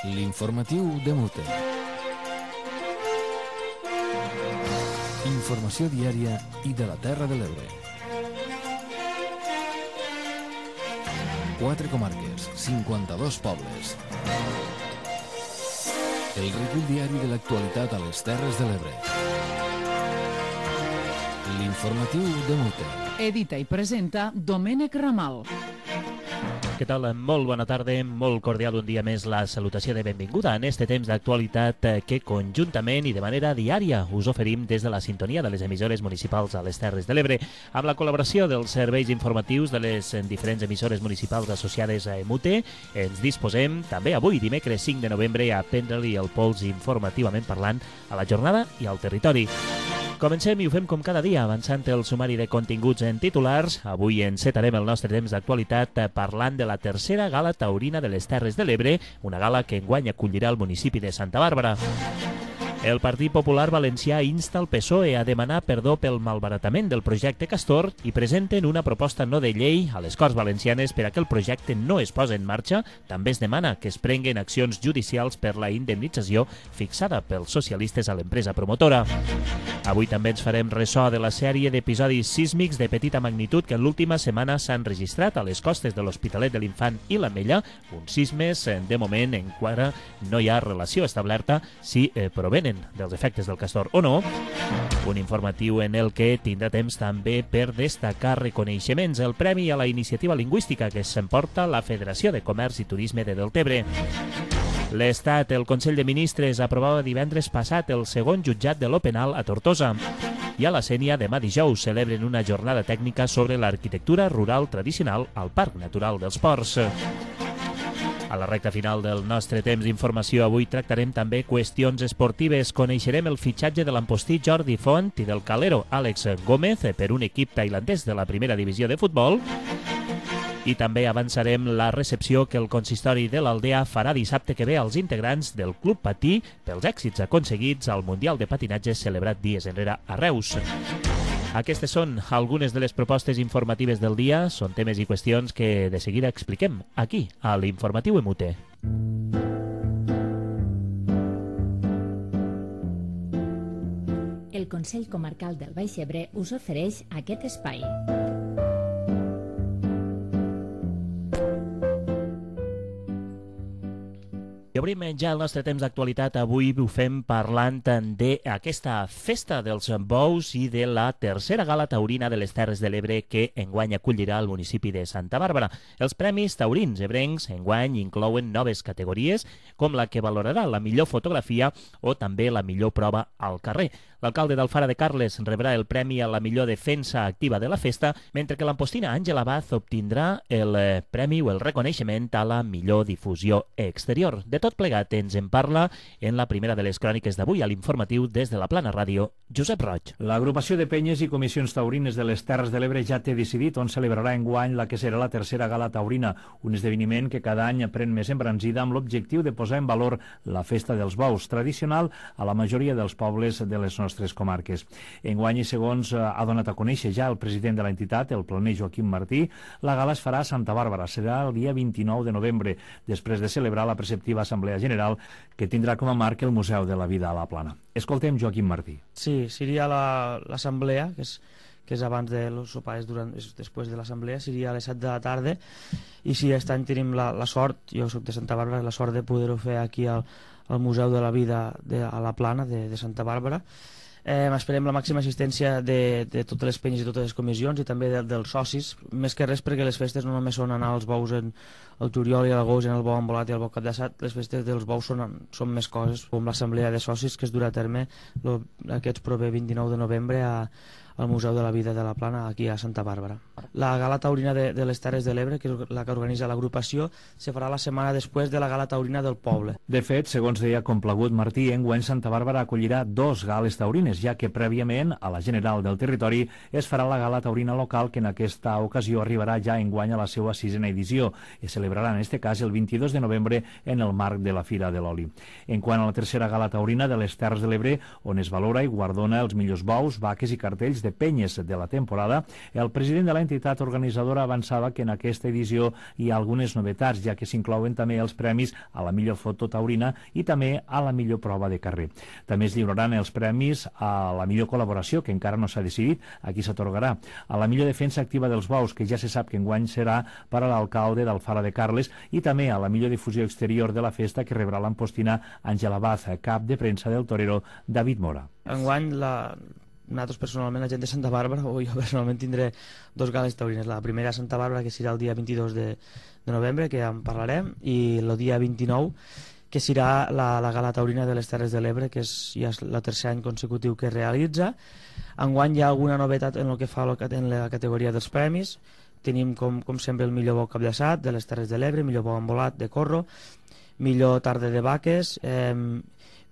L'informatiu de Mute. Informació diària i de la Terra de l'Ebre. 4 comarques, 52 pobles. El recull diari de l'actualitat a les Terres de l'Ebre. L'informatiu de Mute. Edita i presenta Domènec Ramal. Què tal? Molt bona tarda, molt cordial un dia més la salutació de benvinguda en este temps d'actualitat que conjuntament i de manera diària us oferim des de la sintonia de les emissores municipals a les Terres de l'Ebre, amb la col·laboració dels serveis informatius de les diferents emissores municipals associades a EMUTE. Ens disposem també avui, dimecres 5 de novembre, a prendre-li el pols informativament parlant a la jornada i al territori. Comencem i ho fem com cada dia, avançant el sumari de continguts en titulars. Avui encetarem el nostre temps d'actualitat parlant de la tercera gala taurina de les Terres de l'Ebre, una gala que enguany acollirà el municipi de Santa Bàrbara. El Partit Popular Valencià insta el PSOE a demanar perdó pel malbaratament del projecte Castor i presenten una proposta no de llei a les Corts Valencianes per a que el projecte no es posi en marxa. També es demana que es prenguen accions judicials per la indemnització fixada pels socialistes a l'empresa promotora. Avui també ens farem ressò de la sèrie d'episodis sísmics de petita magnitud que en l'última setmana s'han registrat a les costes de l'Hospitalet de l'Infant i l'Ametlla, uns sismes de moment encara no hi ha relació establerta si provenen dels efectes del Castor o no. Un informatiu en el que tindrà temps també per destacar reconeixements. El premi a la iniciativa lingüística que s'emporta la Federació de Comerç i Turisme de Deltebre. L'Estat, el Consell de Ministres, aprovava divendres passat el segon jutjat de lo penal a Tortosa. I a la Sénia, demà dijous, celebren una jornada tècnica sobre l'arquitectura rural tradicional al Parc Natural dels Ports. A la recta final del nostre temps d'informació avui tractarem també qüestions esportives. Coneixerem el fitxatge de l'empostí Jordi Font i del calero Àlex Gómez per un equip tailandès de la primera divisió de futbol. I també avançarem la recepció que el consistori de l'Aldea farà dissabte que ve als integrants del Club Patí pels èxits aconseguits al Mundial de Patinatge celebrat dies enrere a Reus. Aquestes són algunes de les propostes informatives del dia. Són temes i qüestions que de seguida expliquem aquí, a l'Informatiu EMUTE. El Consell Comarcal del Baix Ebre us ofereix aquest espai. I obrim ja el nostre temps d'actualitat. Avui ho fem parlant d'aquesta festa dels bous i de la tercera gala taurina de les Terres de l'Ebre que enguany acollirà el municipi de Santa Bàrbara. Els premis taurins ebrencs enguany inclouen noves categories com la que valorarà la millor fotografia o també la millor prova al carrer. L'alcalde d'Alfara de Carles rebrà el premi a la millor defensa activa de la festa, mentre que l'ampostina Àngela Baz obtindrà el premi o el reconeixement a la millor difusió exterior. De tot plegat ens en parla en la primera de les cròniques d'avui a l'informatiu des de la Plana Ràdio, Josep Roig. L'agrupació de penyes i comissions taurines de les Terres de l'Ebre ja té decidit on celebrarà enguany la que serà la tercera gala taurina, un esdeveniment que cada any pren més embranzida amb l'objectiu de posar en valor la festa dels bous, tradicional a la majoria dels pobles de les nostres comarques. Enguany, i segons ha donat a conèixer ja el president de l'entitat, el planer Joaquim Martí, la gala es farà a Santa Bàrbara. Serà el dia 29 de novembre, després de celebrar la preceptiva Assemblea General que tindrà com a marc el Museu de la Vida a la Plana. Escoltem Joaquim Martí. Sí, seria l'assemblea, que és abans de los sopars, després de l'assemblea, seria a les 7 de la tarda, i si aquest any tenim la sort, jo soc de Santa Bàrbara, la sort de poder-ho fer aquí al Museu de la Vida a la Plana de Santa Bàrbara. Esperem la màxima assistència de totes les penyes i totes les comissions i també dels socis, més que res perquè les festes no només són anar als bous al juliol i a l'agost, en el bou embolat i el bou cap d'assat. Les festes dels bous són més coses, com l'assemblea de socis que es durà a terme aquest proper 29 de novembre al Museu de la Vida de la Plana, aquí a Santa Bàrbara. La gala taurina de les Terres de l'Ebre, que és la que organitza l'agrupació, se farà la setmana després de la gala taurina del poble. De fet, segons deia complagut Martí, enguany Santa Bàrbara acollirà 2 gales taurines, ja que prèviament a la general del territori es farà la gala taurina local, que en aquesta ocasió arribarà ja enguany a la seva 6a edició. Es celebrarà en este cas el 22 de novembre en el marc de la Fira de l'Oli. En quant a la tercera gala taurina de les Terres de l'Ebre, on es valora i guardona els millors bous, vaques i cartells de penyes de la temporada, el president de l'entitat organitzadora avançava que en aquesta edició hi ha algunes novetats, ja que s'inclouen també els premis a la millor foto taurina i també a la millor prova de carrer. També es lliuraran els premis a la millor col·laboració, que encara no s'ha decidit a qui s'atorgarà, a la millor defensa activa dels bous, que ja se sap que enguany serà per a l'alcalde d'Alfara de Carles, i també a la millor difusió exterior de la festa, que rebrà l'ampostina Àngela Baz, cap de premsa del torero David Mora. Enguany, nosaltres personalment, la gent de Santa Bàrbara, o jo personalment tindré dos gales taurines. La primera a Santa Bàrbara, que serà el dia 22 de novembre, que ja en parlarem, i el dia 29, que serà la gala taurina de les Terres de l'Ebre, que ja és el tercer any consecutiu que es realitza. Enguany hi ha alguna novetat en el que fa en la categoria dels premis. Tenim, com sempre, el millor bou capllaçat de les Terres de l'Ebre, millor bou embolat de Corro, millor tarda de vaques,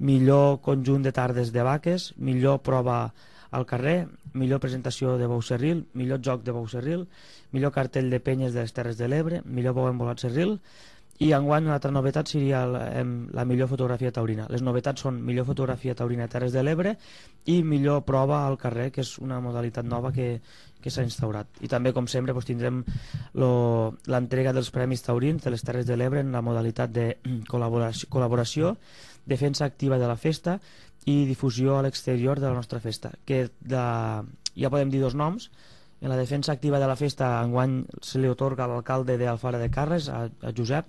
millor conjunt de tardes de vaques, millor prova al carrer, millor presentació de bou serril, millor joc de bou serril, millor cartell de penyes de les Terres de l'Ebre, millor bou embolat serril, i enguany una altra novetat seria la millor fotografia taurina. Les novetats són millor fotografia taurina a Terres de l'Ebre i millor prova al carrer, que és una modalitat nova que s'ha instaurat. I també, com sempre, tindrem l'entrega dels Premis Taurins de les Terres de l'Ebre en la modalitat de col·laboració, defensa activa de la festa i difusió a l'exterior de la nostra festa, que ja podem dir dos noms. En la defensa activa de la festa enguany se li otorga a l'alcalde d'Alfara de Carles, a Josep,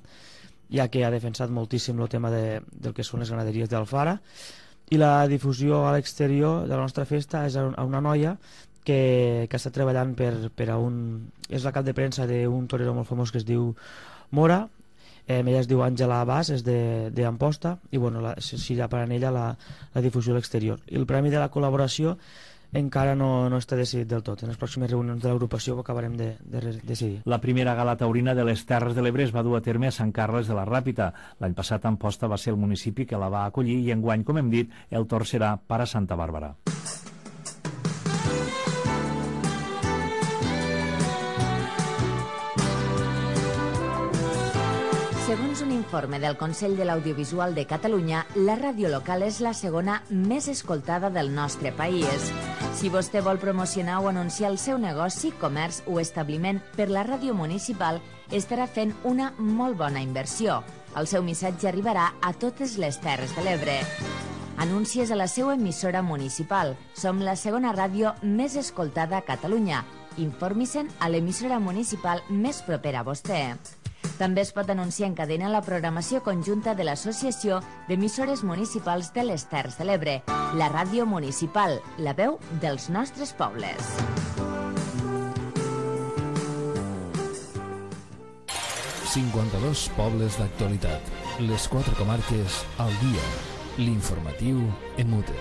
ja que ha defensat moltíssim el tema del que són les ganaderies d'Alfara, i la difusió a l'exterior de la nostra festa és a una noia que està treballant és la cap de premsa d'un torero molt famós que es diu Mora. Ella es diu Àngela Baz, és d'Amposta, i serà per a ella la difusió a l'exterior. I el premi de la col·laboració encara no està decidit del tot. En les pròximes reunions de l'agrupació ho acabarem de decidir. La primera gala taurina de les Terres de l'Ebre es va dur a terme a Sant Carles de la Ràpita. L'any passat Amposta va ser el municipi que la va acollir i enguany, com hem dit, el torn serà per a Santa Bàrbara. Segons un informe del Consell de l'Audiovisual de Catalunya, la ràdio local és la segona més escoltada del nostre país. Si vostè vol promocionar o anunciar el seu negoci, comerç o establiment per la ràdio municipal, estarà fent una molt bona inversió. El seu missatge arribarà a totes les Terres de l'Ebre. Anuncies a la seva emissora municipal. Som la segona ràdio més escoltada a Catalunya. Informi-se'n a l'emissora municipal més propera a vostè. També es pot anunciar en cadena la programació conjunta de l'Associació d'Emissores Municipals de les Terres de l'Ebre, la ràdio municipal, la veu dels nostres pobles. ...52 pobles d'actualitat. Les 4 comarques al dia. L'informatiu EMUTE.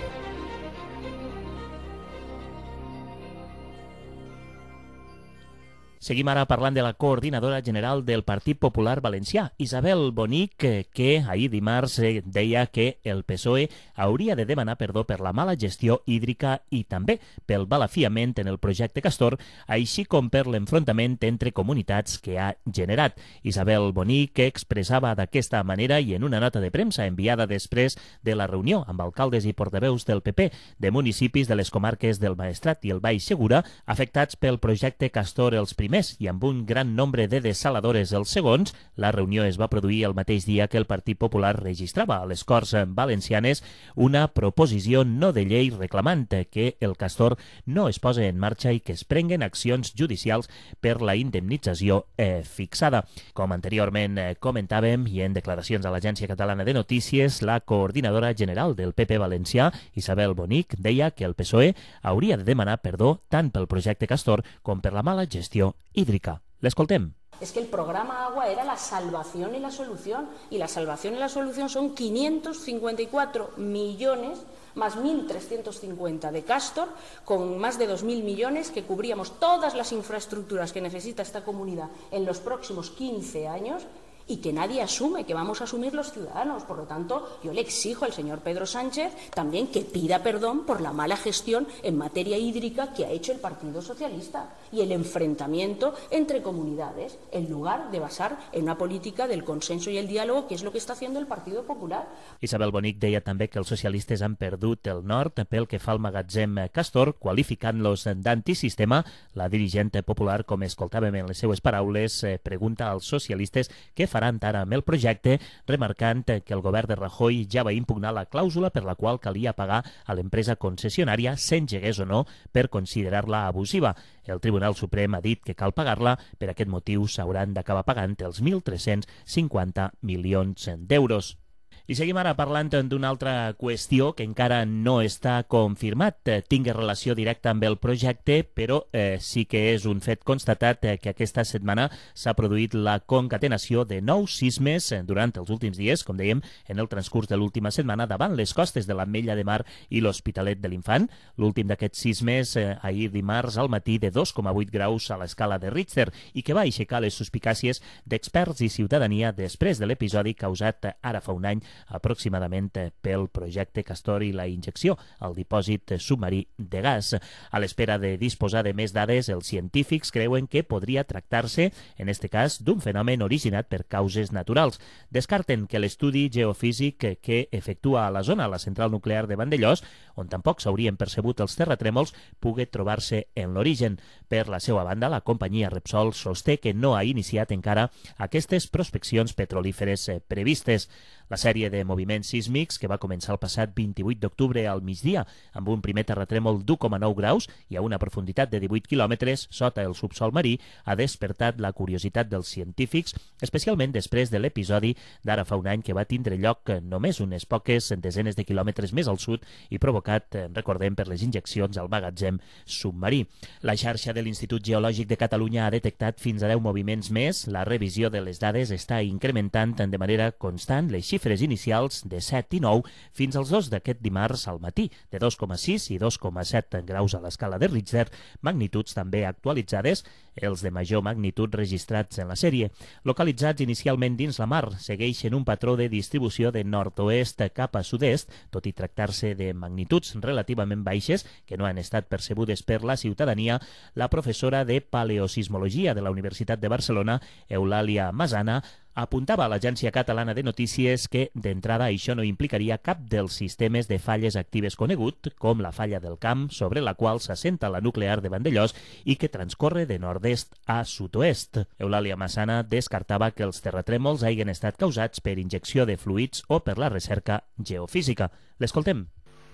Seguim ara parlant de la coordinadora general del Partit Popular Valencià, Isabel Bonic, que ahir dimarts deia que el PSOE hauria de demanar perdó per la mala gestió hídrica i també pel balafiament en el projecte Castor, així com per l'enfrontament entre comunitats que ha generat. Isabel Bonic expressava d'aquesta manera i en una nota de premsa enviada després de la reunió amb alcaldes i portaveus del PP de municipis de les comarques del Maestrat i el Baix Segura afectats pel projecte Castor els primers i amb un gran nombre de desaladores els segons. La reunió es va produir el mateix dia que el Partit Popular registrava a les Corts Valencianes una proposició no de llei reclamant que el Castor no es posi en marxa i que es prenguen accions judicials per la indemnització fixada. Com anteriorment comentàvem i en declaracions a l'Agència Catalana de Notícies, la coordinadora general del PP valencià, Isabel Bonic, deia que el PSOE hauria de demanar perdó tant pel projecte Castor com per la mala gestió hídrica. L'escoltem. Es que el programa Agua era la salvación y la solución, y la salvación y la solución son 554 millones más 1.350 de Castor, con más de 2.000 millones que cubríamos todas las infraestructuras que necesita esta comunidad en los próximos 15 años y que nadie asume, que vamos a asumir los ciudadanos. Por lo tanto, yo le exijo al señor Pedro Sánchez también que pida perdón por la mala gestión en materia hídrica que ha hecho el Partido Socialista y el enfrentamiento entre comunidades, en lugar de basar en una política del consenso y el diálogo, que es lo que está haciendo el Partido Popular. Isabel Bonic deia també que els socialistes han perdut el nord pel que fa al magatzem Castor, qualificant-los d'antisistema. La dirigent popular, com escoltàvem en les seues paraules, pregunta als socialistes què faran ara amb el projecte, remarcant que el govern de Rajoy ja va impugnar la clàusula per la qual calia pagar a l'empresa concessionària, s'engegués o no, per considerar-la abusiva. El Tribunal Suprem ha dit que cal pagar-la, per aquest motiu s'hauran d'acabar pagant els 1.350 milions d'euros. I seguim ara parlant d'una altra qüestió que encara no està confirmat. Tingui relació directa amb el projecte, però sí que és un fet constatat que aquesta setmana s'ha produït la concatenació de 9 sismes durant els últims dies, com dèiem, en el transcurs de l'última setmana davant les costes de l'Ametlla de Mar i l'Hospitalet de l'Infant. L'últim d'aquests sismes ahir dimarts al matí de 2,8 graus a l'escala de Richter i que va aixecar les suspicàcies d'experts i ciutadania després de l'episodi causat ara fa un any aproximadament pel projecte Castor i la injecció al dipòsit submarí de gas. A l'espera de disposar de més dades, els científics creuen que podria tractar-se, en aquest cas, d'un fenomen originat per causes naturals. Descarten que l'estudi geofísic que efectua a la zona, la central nuclear de Vandellòs, on tampoc s'haurien percebut els terratrèmols, pugui trobar-se en l'origen. Per la seva banda, la companyia Repsol sosté que no ha iniciat encara aquestes prospeccions petrolíferes previstes. La sèrie de moviments sísmics, que va començar el passat 28 d'octubre al migdia, amb un primer terratrèmol d'1,9 graus i a una profunditat de 18 quilòmetres sota el subsol marí, ha despertat la curiositat dels científics, especialment després de l'episodi d'ara fa un any que va tindre lloc només unes poques desenes de quilòmetres més al sud i provocat, recordem, per les injeccions al magatzem submarí. La xarxa de l'Institut Geològic de Catalunya ha detectat fins a 10 moviments més. La revisió de les dades està incrementant de manera constant les xifres inicials de 7 i 9 fins als 2 d'aquest dimarts al matí, de 2,6 i 2,7 graus a l'escala de Richter, magnituds també actualitzades, els de major magnitud registrats en la sèrie. Localitzats inicialment dins la mar, segueixen un patró de distribució de nord-oest cap a sud-est, tot i tractar-se de magnituds relativament baixes que no han estat percebudes per la ciutadania. La professora de Paleosismologia de la Universitat de Barcelona, Eulàlia Massana, apuntava a l'Agència Catalana de Notícies que, d'entrada, això no implicaria cap dels sistemes de falles actives conegut, com la falla del Camp, sobre la qual s'assenta la nuclear de Vandellòs i que transcorre de nord-est a sud-oest. Eulàlia Massana descartava que els terratrèmols hagin estat causats per injecció de fluids o per la recerca geofísica. L'escoltem.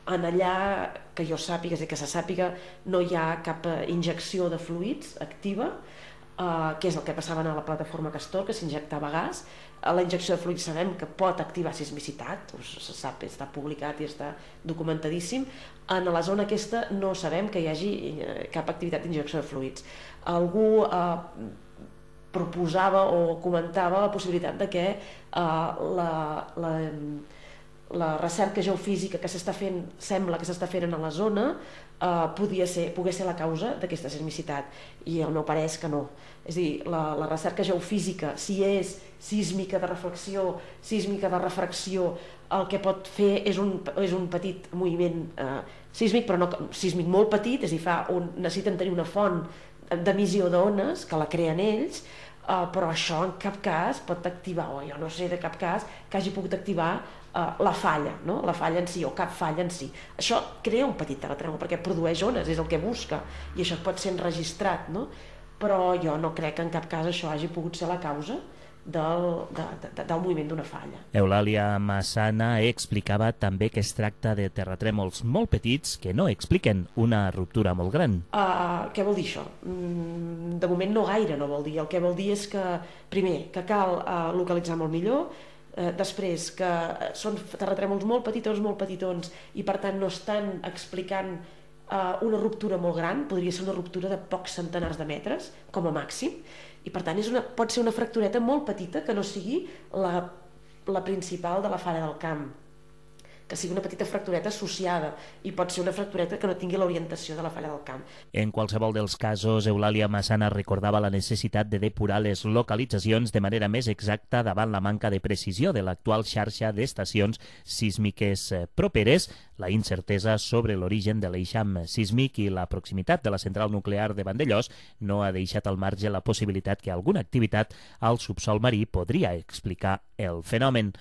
En allà, que jo sàpiga i que se sàpiga, no hi ha cap injecció de fluids activa, que és el que passava a la plataforma Castor, que s'injectava gas. La injecció de fluids sabem que pot activar sismicitat, se sap, està publicat i està documentadíssim. En la zona aquesta no sabem que hi hagi cap activitat d'injecció de fluids. Algú proposava o comentava la possibilitat de que la recerca geofísica que s'està fent, sembla que s'està fent a la zona, pogués ser la causa d'aquesta sismicitat, i el meu parer és que no. És a dir, la recerca geofísica, si és sísmica de reflexió, sísmica de refracció, el que pot fer és un petit moviment sísmic, però no sísmic molt petit, és a dir, necessiten tenir una font d'emissió d'ones que la creen ells, però això en cap cas pot activar, o jo no sé de cap cas que hagi pogut activar la falla, no? La falla en si, o cap falla en si. Això crea un petit terratrèmol perquè produeix ones, és el que busca, i això pot ser enregistrat, no? Però jo no crec que en cap cas això hagi pogut ser la causa del moviment d'una falla. Eulàlia Massana explicava també que es tracta de terratrèmols molt petits que no expliquen una ruptura molt gran. Què vol dir això? De moment no gaire no vol dir. El que vol dir és que, primer, que cal localitzar molt millor, després que són terratrèmols molt petitons i per tant no estan explicant una ruptura molt gran, podria ser una ruptura de pocs centenars de metres com a màxim, i per tant pot ser una fractureta molt petita que no sigui la principal de la falla del Camp. que sigui una petita fractureta associada i pot ser una fractureta que no tingui l'orientació de la falla del camp. En qualsevol dels casos, Eulàlia Massana recordava la necessitat de depurar les localitzacions de manera més exacta davant la manca de precisió de l'actual xarxa d'estacions sísmiques properes, la incertesa sobre l'origen de l'eixam sísmic i la proximitat de la central nuclear de Vandellòs no ha deixat al marge la possibilitat que alguna activitat al subsol marí podria explicar el fenomen.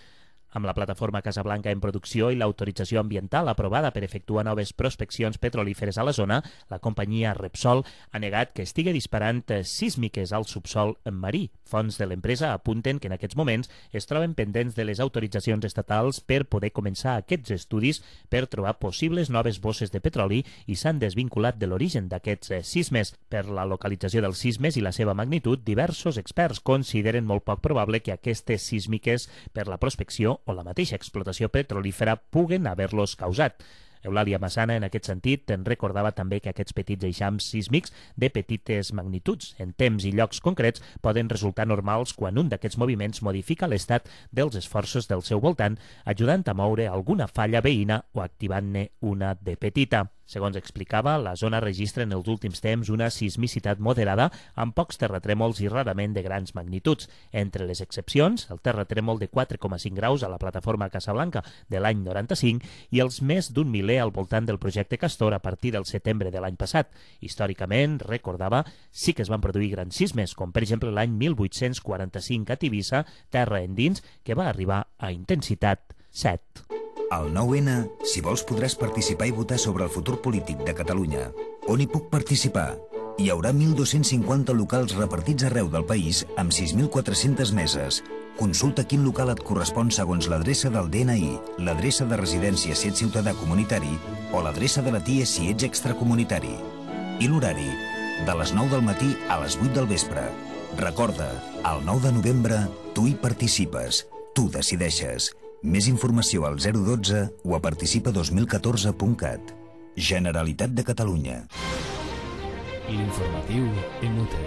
Amb la plataforma Casablanca en producció i l'autorització ambiental aprovada per efectuar noves prospeccions petrolíferes a la zona, la companyia Repsol ha negat que estigui disparant sísmiques al subsol marí. Fonts de l'empresa apunten que en aquests moments es troben pendents de les autoritzacions estatals per poder començar aquests estudis per trobar possibles noves bosses de petroli i s'han desvinculat de l'origen d'aquests sismes. Per la localització dels sismes i la seva magnitud, diversos experts consideren molt poc probable que aquestes sísmiques per la prospecció o la mateixa explotació petrolífera puguen haver-los causat. Eulàlia Massana, en aquest sentit, en recordava també que aquests petits eixams sísmics de petites magnituds, en temps i llocs concrets, poden resultar normals quan un d'aquests moviments modifica l'estat dels esforços del seu voltant, ajudant a moure alguna falla veïna o activant-ne una de petita. Segons explicava, la zona registra en els últims temps una sismicitat moderada amb pocs terratrèmols i rarament de grans magnituds. Entre les excepcions, el terratrèmol de 4,5 graus a la plataforma Casablanca de l'any 95 i els més d'un miler al voltant del projecte Castor a partir del setembre de l'any passat. Històricament, recordava, sí que es van produir grans sismes, com per exemple l'any 1845 a Tivissa, terra endins, que va arribar a intensitat 7. Al 9-N, si vols, podràs participar i votar sobre el futur polític de Catalunya. On hi puc participar? Hi haurà 1.250 locals repartits arreu del país amb 6.400 meses. Consulta quin local et correspon segons l'adreça del DNI, l'adreça de residència si ets ciutadà comunitari o l'adreça de la TIE si ets extracomunitari. I l'horari? De les 9 del matí a les 8 del vespre. Recorda, el 9 de novembre tu hi participes, tu decideixes. Més informació al 012 o a participa2014.cat. Generalitat de Catalunya. L'informatiu MUT.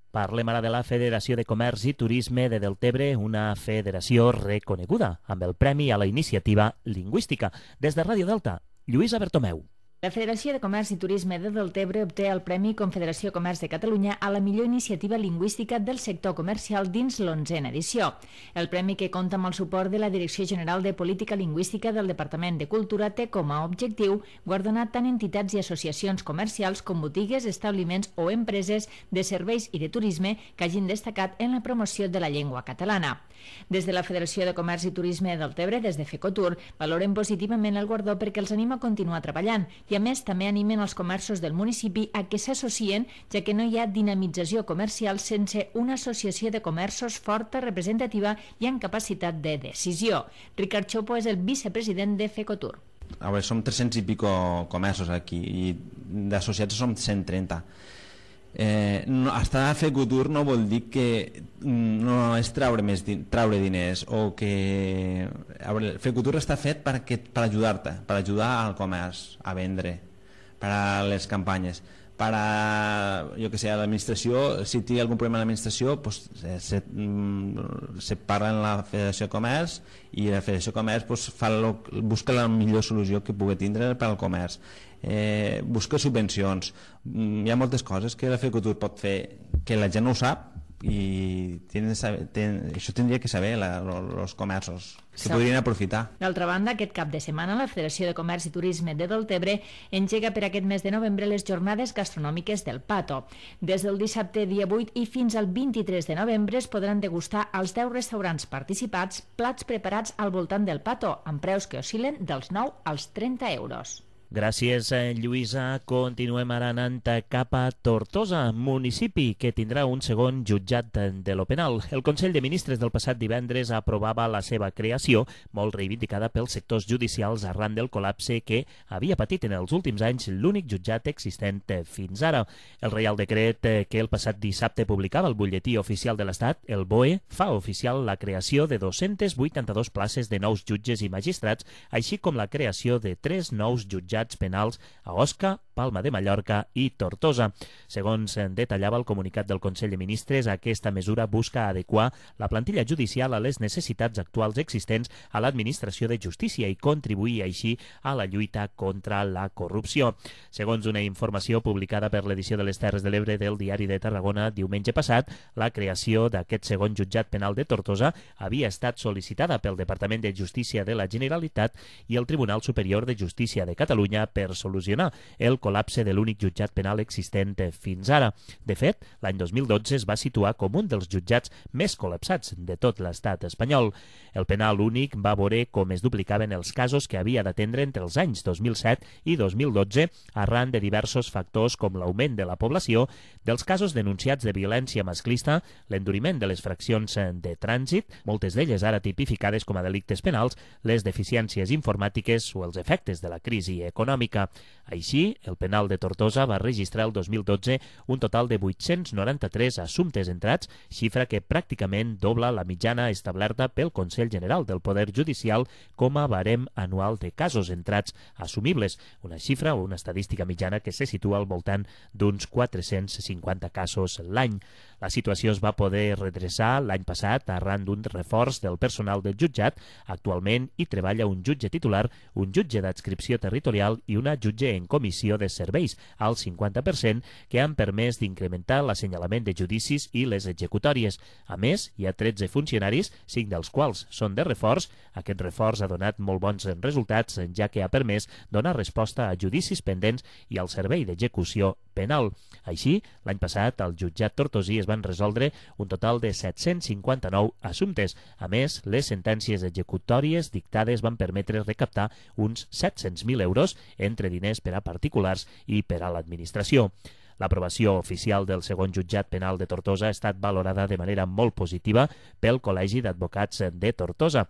Parlem ara de la Federació de Comerç i Turisme de Deltebre, una federació reconeguda amb el Premi a la Iniciativa Lingüística. Des de Ràdio Delta, Lluïsa Bertomeu. La Federació de Comerç i Turisme de Deltebre obté el Premi Confederació Comerç de Catalunya a la millor iniciativa lingüística del sector comercial dins l'11a edició. El premi, que compta amb el suport de la Direcció General de Política Lingüística del Departament de Cultura, té com a objectiu guardonar tant entitats i associacions comercials com botigues, establiments o empreses de serveis i de turisme que hagin destacat en la promoció de la llengua catalana. Des de la Federació de Comerç i Turisme de Deltebre, des de FECOTUR, valoren positivament el guardó perquè els anima a continuar treballant i, a més, també animen els comerços del municipi a que s'associen, ja que no hi ha dinamització comercial sense una associació de comerços forta, representativa i amb capacitat de decisió. Ricard Chopo és el vicepresident de FECOTUR. A veure, som 300 i pico comerços aquí i d'associats som 130. Estar a FECOTUR no vol dir que no és traure diners o que... FECOTUR està fet per ajudar-te, per ajudar al comerç a vendre, per a les campanyes, per a, jo que sé, a l'administració. Si té algun problema a l'administració, se parla en la Federació de Comerç i la Federació de Comerç busca la millor solució que pugui tindre per al comerç. Busca subvencions. Hi ha moltes coses que la FECOTUR pot fer que la gent no ho sap i això tindria que saber els comerços, que podrien aprofitar. D'altra banda, aquest cap de setmana la Federació de Comerç i Turisme de Deltebre engega per aquest mes de novembre les jornades gastronòmiques del Pato. Des del dissabte dia 8 i fins al 23 de novembre es podran degustar als 10 restaurants participats plats preparats al voltant del Pato, amb preus que oscil·len dels 9 als 30 euros. Gràcies, Lluïsa. Continuem ara anant cap a Tortosa, municipi que tindrà un segon jutjat de lo penal. El Consell de Ministres del passat divendres aprovava la seva creació, molt reivindicada pels sectors judicials arran del col·lapse que havia patit en els últims anys l'únic jutjat existent fins ara. El Reial Decret que el passat dissabte publicava el Butlletí Oficial de l'Estat, el BOE, fa oficial la creació de 282 places de nous jutges i magistrats, així com la creació de 3 nous jutjats penals a Osca, Palma de Mallorca i Tortosa. Segons detallava el comunicat del Consell de Ministres, aquesta mesura busca adequar la plantilla judicial a les necessitats actuals existents a l'Administració de Justícia i contribuir així a la lluita contra la corrupció. Segons una informació publicada per l'edició de les Terres de l'Ebre del Diari de Tarragona diumenge passat, la creació d'aquest segon jutjat penal de Tortosa havia estat sol·licitada pel Departament de Justícia de la Generalitat i el Tribunal Superior de Justícia de Catalunya per solucionar el col·lapse de l'únic jutjat penal existent fins ara. De fet, l'any 2012 es va situar com un dels jutjats més col·lapsats de tot l'estat espanyol. El penal únic va veure com es duplicaven els casos que havia d'atendre entre els anys 2007 i 2012 arran de diversos factors com l'augment de la població, dels casos denunciats de violència masclista, l'enduriment de les fraccions de trànsit, moltes d'elles ara tipificades com a delictes penals, les deficiències informàtiques o els efectes de la crisi econòmica. Així, el penal de Tortosa va registrar el 2012 un total de 893 assumptes entrats, xifra que pràcticament dobla la mitjana establerta pel Consell General del Poder Judicial com a barem anual de casos entrats assumibles, una xifra o una estadística mitjana que se situa al voltant d'uns 450 casos l'any. La situació es va poder redreçar l'any passat arran d'un reforç del personal del jutjat. Actualment hi treballa un jutge titular, un jutge d'adscripció territorial i una jutge en comissió de serveis al 50%, que han permès d'incrementar l'assenyalament de judicis i les executòries. A més, hi ha 13 funcionaris, 5 dels quals són de reforç. Aquest reforç ha donat molt bons resultats, ja que ha permès donar resposta a judicis pendents i al servei d'execució penal. Així, l'any passat, al jutjat tortosí es van resoldre un total de 759 assumptes. A més, les sentències executòries dictades van permetre recaptar uns 700.000 euros entre diners per a particulars i per a l'administració. L'aprovació oficial del segon jutjat penal de Tortosa ha estat valorada de manera molt positiva pel Col·legi d'Advocats de Tortosa.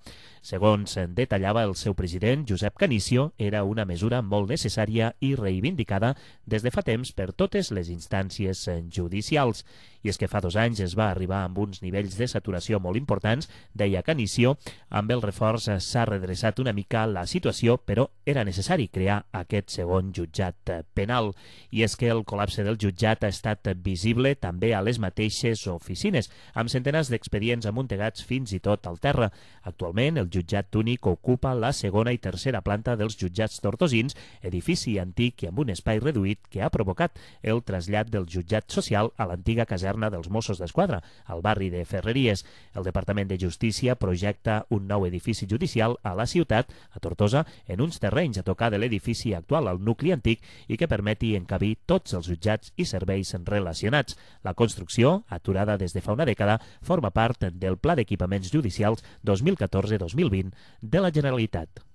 Segons detallava el seu president, Josep Canicio, era una mesura molt necessària i reivindicada des de fa temps per totes les instàncies judicials. I és que fa 2 anys es va arribar amb uns nivells de saturació molt importants, deia Canicio. Amb el reforç s'ha redreçat una mica la situació, però era necessari crear aquest segon jutjat penal. I és que el col·lapse del jutjat ha estat visible també a les mateixes oficines, amb centenars d'expedients amuntegats fins i tot al terra. Actualment, el jutjat únic ocupa la segona i tercera planta dels jutjats tortosins, edifici antic i amb un espai reduït que ha provocat el trasllat del jutjat social a l'antiga caserna dels Mossos d'Esquadra, al barri de Ferreries. El Departament de Justícia projecta un nou edifici judicial a la ciutat, a Tortosa, en uns terrenys a tocar de l'edifici actual al nucli antic i que permeti encabir tots els jutjats i serveis relacionats. La construcció, aturada des de fa una dècada, forma part del Pla d'Equipaments Judicials 2014-2020 de la Generalitat.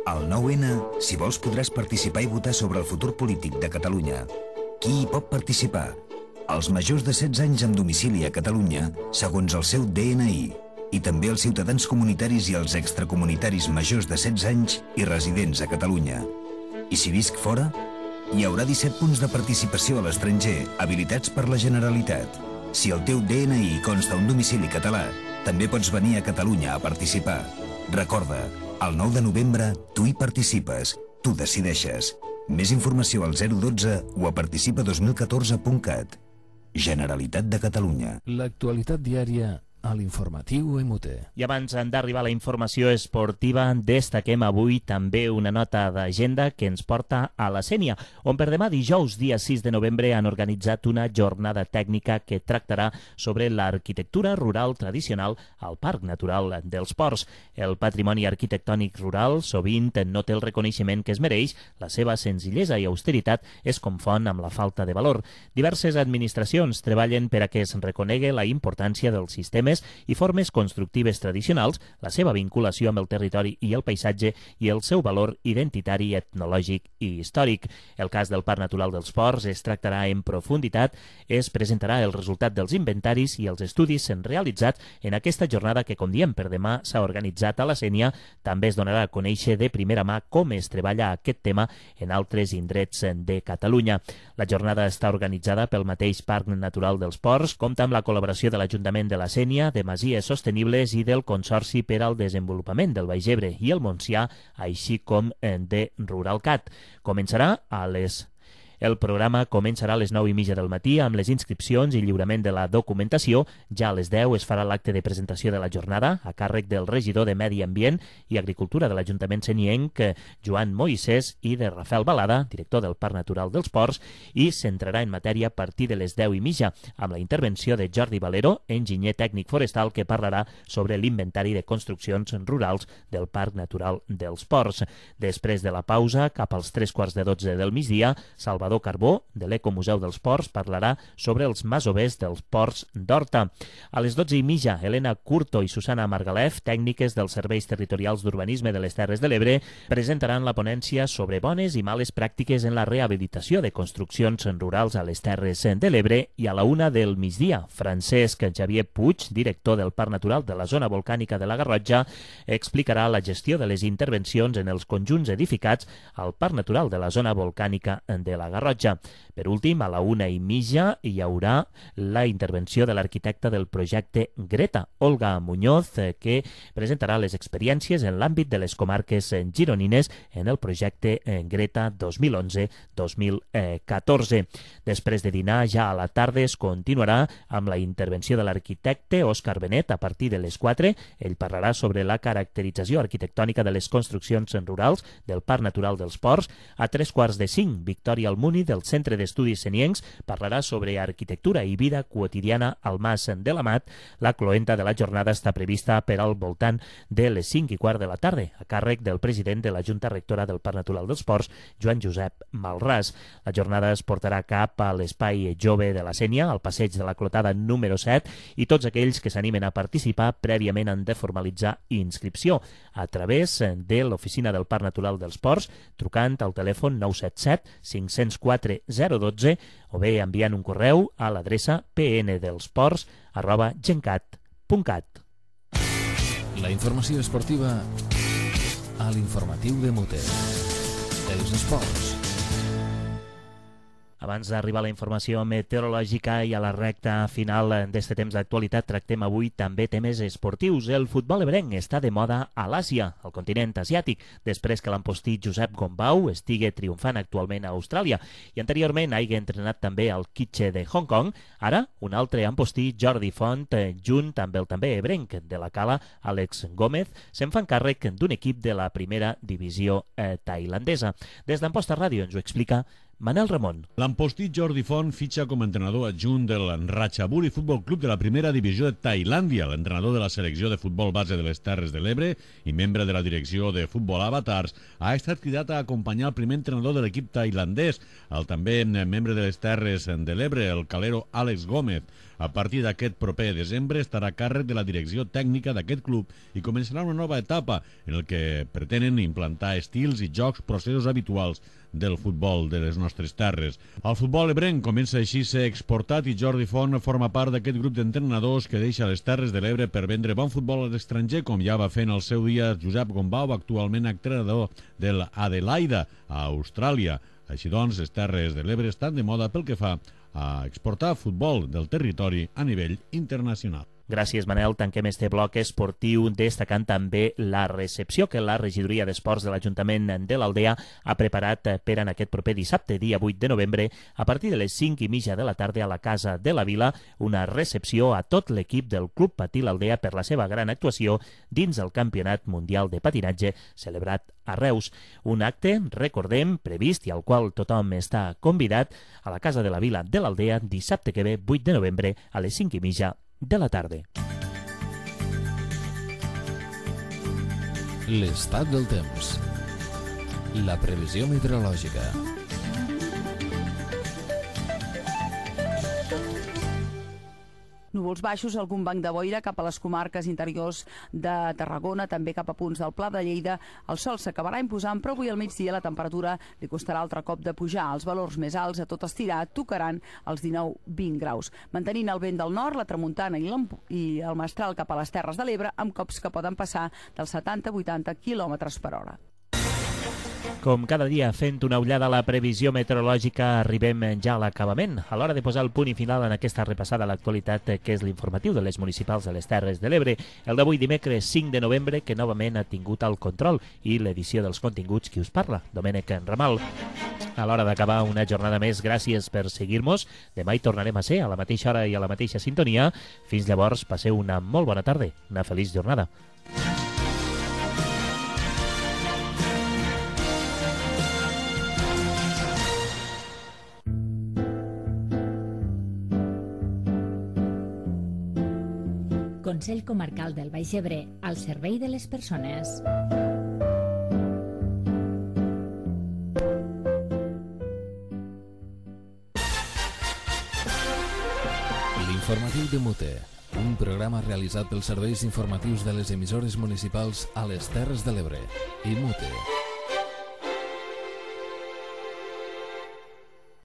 Al 9-N, si vols, podràs participar i votar sobre el futur polític de Catalunya. Qui hi pot participar? Els majors de 16 anys amb domicili a Catalunya, segons el seu DNI, i també els ciutadans comunitaris i els extracomunitaris majors de 16 anys i residents a Catalunya. I si visc fora? Hi haurà 17 punts de participació a l'estranger, habilitats per la Generalitat. Si el teu DNI consta un domicili català, també pots venir a Catalunya a participar. Recorda, el 9 de novembre tu hi participes, tu decideixes. Més informació al 012 o a participa2014.cat. Generalitat de Catalunya. L'actualitat diària a l'informatiu MUT. I abans d'arribar a la informació esportiva, destaquem avui també una nota d'agenda que ens porta a la Sénia, on per demà dijous, dia 6 de novembre, han organitzat una jornada tècnica que tractarà sobre l'arquitectura rural tradicional al Parc Natural dels Ports. El patrimoni arquitectònic rural sovint no té el reconeixement que es mereix, la seva senzillesa i austeritat es confon amb la falta de valor. Diverses administracions treballen per a que es reconegui la importància dels sistemes i formes constructives tradicionals, la seva vinculació amb el territori i el paisatge i el seu valor identitari, etnològic i històric. El cas del Parc Natural dels Ports es tractarà en profunditat, es presentarà el resultat dels inventaris i els estudis realitzats en aquesta jornada que, com diem, per demà s'ha organitzat a la Sénia. També es donarà a conèixer de primera mà com es treballa aquest tema en altres indrets de Catalunya. La jornada està organitzada pel mateix Parc Natural dels Ports, compta amb la col·laboració de l'Ajuntament de la Sénia, línia de Masies Sostenibles i del Consorci per al Desenvolupament del Baix Ebre i el Montsià, així com de Ruralcat. El programa començarà a les 9:30 del matí amb les inscripcions i lliurament de la documentació. Ja a les 10 es farà l'acte de presentació de la jornada a càrrec del regidor de Medi Ambient i Agricultura de l'Ajuntament senienc, Joan Moisès, i de Rafael Balada, director del Parc Natural dels Ports, i s'entrarà en matèria a partir de les 10:30 amb la intervenció de Jordi Valero, enginyer tècnic forestal, que parlarà sobre l'inventari de construccions rurals del Parc Natural dels Ports. Després de la pausa, cap als 3:15 del migdia, Salvador Carbó, de l'Ecomuseu dels Ports, parlarà sobre els masovers dels ports d'Horta. A les 12:30, Helena Curto i Susana Margalef, tècniques dels Serveis Territorials d'Urbanisme de les Terres de l'Ebre, presentaran la ponència sobre bones i males pràctiques en la rehabilitació de construccions rurals a les Terres de l'Ebre. I a la 1 del migdia, Francesc Xavier Puig, director del Parc Natural de la Zona Volcànica de la Garrotxa, explicarà la gestió de les intervencions en els conjunts edificats al Parc Natural de la Zona Volcànica de la Garrotxa. Per últim, a la 1:30 hi haurà la intervenció de l'arquitecta del projecte Greta, Olga Muñoz, que presentarà les experiències en l'àmbit de les comarques gironines en el projecte Greta 2011-2014. Després de dinar, ja a la tarda es continuarà amb la intervenció de l'arquitecte Òscar Benet a partir de les 4. Ell parlarà sobre la caracterització arquitectònica de les construccions rurals del Parc Natural dels Ports. A 3:45, Victòria Almuni, del Centre d'Estudis Seniencs, parlarà sobre arquitectura i vida quotidiana al Mas de l'Amat. La cloenda de la jornada està prevista per al voltant de les 5:15 de la tarda, a càrrec del president de la Junta Rectora del Parc Natural dels Ports, Joan Josep Malràs. La jornada es portarà cap a l'Espai Jove de la Sénia, al passeig de la Clotada número 7, i tots aquells que s'animen a participar prèviament han de formalitzar inscripció a través de l'oficina del Parc Natural dels Ports, trucant al telèfon 977 504 012 o bé enviant un correu a l'adreça pndelsports@gencat.cat. La informació esportiva a l'informatiu de Muter. Els esports. Abans d'arribar a la informació meteorològica i a la recta final d'este temps d'actualitat, tractem avui també temes esportius. El futbol ebrenc està de moda a l'Àsia, al continent asiàtic, després que l'ampostí Josep Gombau estigui triomfant actualment a Austràlia i anteriorment hagi entrenat també al Kitche de Hong Kong. Ara, un altre ampostí, Jordi Font, junt amb el també ebrenc de la Cala, Àlex Gómez, se'n fan càrrec d'un equip de la primera divisió tailandesa. Des d'Amposta Ràdio ens ho explica Manel Ramon. L'ampostí Jordi Font fitxa com a entrenador adjunt del Ratchaburi Futbol Club de la primera divisió de Tailàndia, l'entrenador de la selecció de futbol base de les Terres de l'Ebre i membre de la direcció de futbol Avatars, ha estat cridat a acompanyar el primer entrenador de l'equip tailandès, el també membre de les Terres de l'Ebre, el calero Àlex Gómez. A partir d'aquest proper desembre estarà a càrrec de la direcció tècnica d'aquest club i començarà una nova etapa en el que pretenen implantar estils i jocs processos habituals del futbol de les nostres terres. El futbol ebrenc comença així a ser exportat i Jordi Font forma part d'aquest grup d'entrenadors que deixa les Terres de l'Ebre per vendre bon futbol a l'estranger, com ja va fer en el seu dia Josep Gombau, actualment entrenador del Adelaida a Austràlia. Així doncs, les Terres de l'Ebre estan de moda pel que fa a exportar futbol del territori a nivell internacional. Gràcies, Manel. Tanquem este bloc esportiu destacant també la recepció que la Regidoria d'Esports de l'Ajuntament de l'Aldea ha preparat per en aquest proper dissabte, dia 8 de novembre, a partir de les 5:30 de la tarda a la Casa de la Vila, una recepció a tot l'equip del Club Patí l'Aldea per la seva gran actuació dins el Campionat Mundial de Patinatge celebrat a Reus. Un acte, recordem, previst i al qual tothom està convidat a la Casa de la Vila de l'Aldea dissabte que ve, 8 de novembre, a les 5:30 de la tarda. L'estat del temps. La previsió meteorològica. Núvols baixos, algun banc de boira cap a les comarques interiors de Tarragona, també cap a punts del Pla de Lleida. El sol s'acabarà imposant, però avui al migdia la temperatura li costarà altre cop de pujar. Els valors més alts a tot estirar tocaran els 19-20 graus. Mantenint el vent del nord, la tramuntana i el mestral cap a les Terres de l'Ebre, amb cops que poden passar dels 70-80 km per hora. Com cada dia, fent una ullada a la previsió meteorològica, arribem ja a l'acabament. A l'hora de posar el punt i final en aquesta repassada a l'actualitat, que és l'informatiu de les municipals de les Terres de l'Ebre, el d'avui dimecres 5 de novembre, que novament ha tingut el control i l'edició dels continguts qui us parla, Domènec Ramal. A l'hora d'acabar una jornada més, gràcies per seguir-nos. Demà hi tornarem a ser a la mateixa hora i a la mateixa sintonia. Fins llavors, passeu una molt bona tarda, una feliç jornada. Consell Comarcal del Baix Ebre, al servei de les persones. L'informatiu de Mute, un programa realitzat pels serveis informatius de les emissores municipals a les Terres de l'Ebre i Mute.